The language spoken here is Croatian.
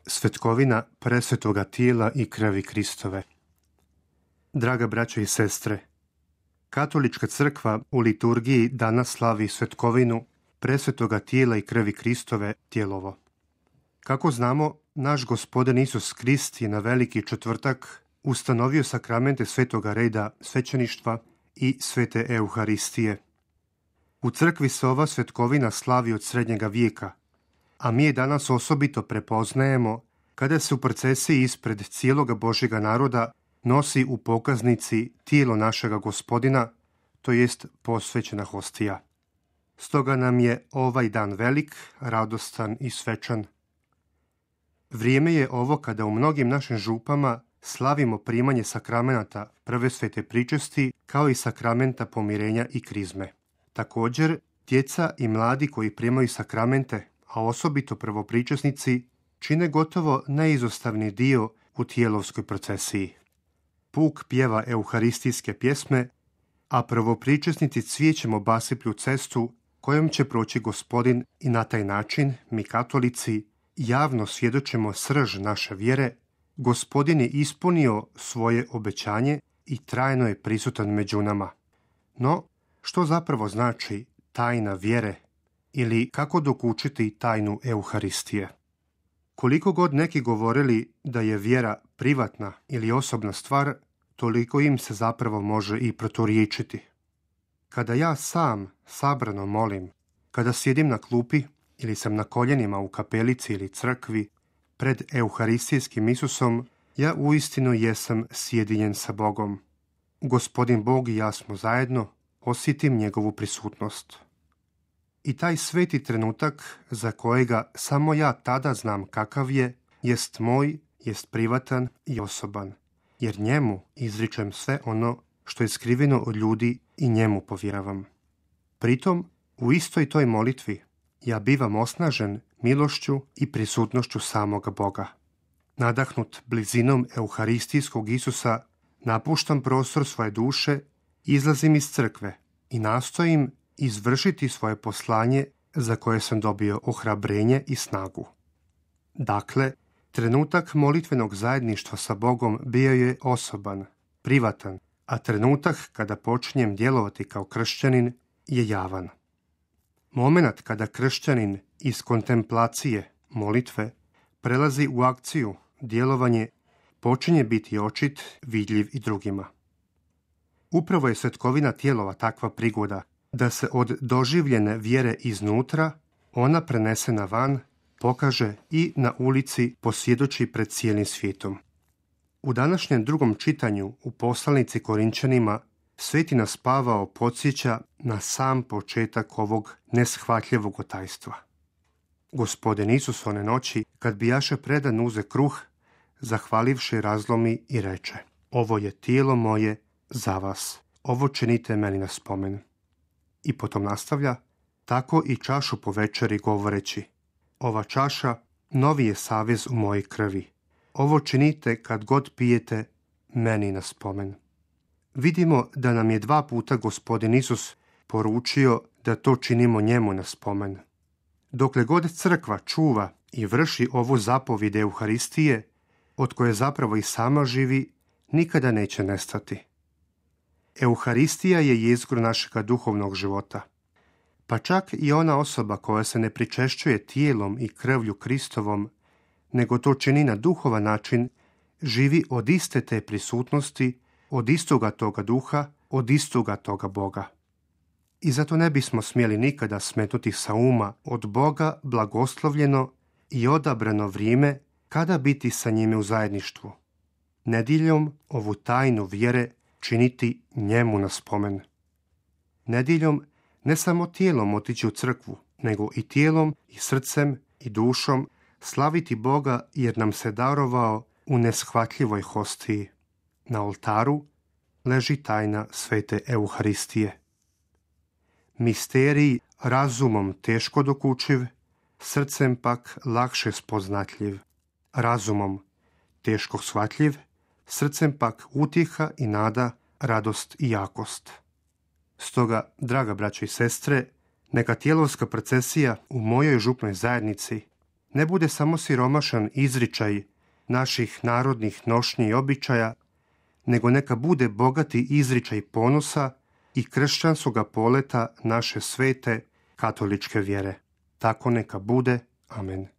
Svetkovina presvetoga tijela i krvi Kristove. Draga braćo i sestre, Katolička crkva u liturgiji danas slavi svetkovinu presvetoga tijela i krvi Kristove tjelovo. Kako znamo, naš Gospodin Isus Krist je na Veliki četvrtak ustanovio sakramente svetoga reda svećeništva i svete Euharistije. U crkvi se ova svetkovina slavi od srednjega vijeka, a mi je danas osobito prepoznajemo kada se u procesiji ispred cijeloga Božjega naroda nosi u pokaznici tijelo našega Gospodina, to jest posvećena hostija. Stoga nam je ovaj dan velik, radostan i svečan. Vrijeme je ovo kada u mnogim našim župama slavimo primanje sakramenata prve svete pričesti kao i sakramenta pomirenja i krizme. Također, djeca i mladi koji primaju sakramente, a osobito prvopričesnici, čine gotovo neizostavni dio u tijelovskoj procesiji. Puk pjeva euharistijske pjesme, a prvopričesnici cvijećem obasiplju cestu kojom će proći Gospodin i na taj način mi katolici javno svjedočimo srž naše vjere. Gospodin je ispunio svoje obećanje i trajno je prisutan među nama. No, što zapravo znači tajna vjere ili kako dokučiti tajnu Euharistije? Koliko god neki govorili da je vjera privatna ili osobna stvar, toliko im se zapravo može i proturječiti. Kada ja sam sabrano molim, kada sjedim na klupi ili sam na koljenima u kapelici ili crkvi pred Euharistijskim Isusom, ja uistinu jesam sjedinjen sa Bogom. Gospodin Bog i ja smo zajedno, osjetim njegovu prisutnost. I taj sveti trenutak za kojega samo ja tada znam kakav je, jest moj, jest privatan i osoban, jer njemu izričem sve ono što je skriveno od ljudi i njemu povjeravam. Pritom, u istoj toj molitvi, ja bivam osnažen milošću i prisutnošću samoga Boga. Nadahnut blizinom Euharistijskog Isusa, napuštam prostor svoje duše, izlazim iz crkve i nastojim izvršiti svoje poslanje za koje sam dobio ohrabrenje i snagu. Dakle, trenutak molitvenog zajedništva sa Bogom bio je osoban, privatan, a trenutak kada počinjem djelovati kao kršćanin je javan. Momenat kada kršćanin iz kontemplacije, molitve, prelazi u akciju, djelovanje, počinje biti očit, vidljiv i drugima. Upravo je svetkovina tijelova takva prigoda da se od doživljene vjere iznutra ona prenesena van, pokaže i na ulici posvjedoči pred cijelim svijetom. U današnjem drugom čitanju u poslanici Korinčanima Sveti nas Pavao podsjeća na sam početak ovog neshvatljivog otajstva. Gospodin Isus one noći, kad bijaše predan, uze kruh, zahvalivši razlomi i reče: ovo je tijelo moje za vas, ovo činite meni na spomen. I potom nastavlja: tako i čašu po večeri govoreći: ova čaša novi je savez u mojoj krvi. Ovo činite kad god pijete meni na spomen. Vidimo da nam je 2 puta Gospodin Isus poručio da to činimo njemu na spomen. Dokle god crkva čuva i vrši ovu zapovjed Euharistije, od koje zapravo i sama živi, nikada neće nestati. Euharistija je jezgro našega duhovnog života. Pa čak i ona osoba koja se ne pričešćuje tijelom i krvlju Kristovom, nego to čini na duhovan način, živi od iste te prisutnosti, od istoga toga duha, od istoga toga Boga. I zato ne bismo smjeli nikada smetnuti sa uma od Boga blagoslovljeno i odabrano vrijeme kada biti sa njime u zajedništvu. Nedjeljom ovu tajnu vjere činiti njemu na spomen. Nedjeljom ne samo tijelom otići u crkvu, nego i tijelom i srcem i dušom slaviti Boga jer nam se darovao u neshvatljivoj hostiji. Na oltaru leži tajna svete Euharistije. Misterij razumom teško dokučiv, srcem pak lakše spoznatljiv. Razumom teško shvatljiv, srcem pak utjeha i nada, radost i jakost. Stoga, draga braćo i sestre, neka tijelovska procesija u mojoj župnoj zajednici ne bude samo siromašan izričaj naših narodnih nošnji i običaja, nego neka bude bogati izričaj ponosa i kršćanskoga poleta naše svete katoličke vjere. Tako neka bude. Amen.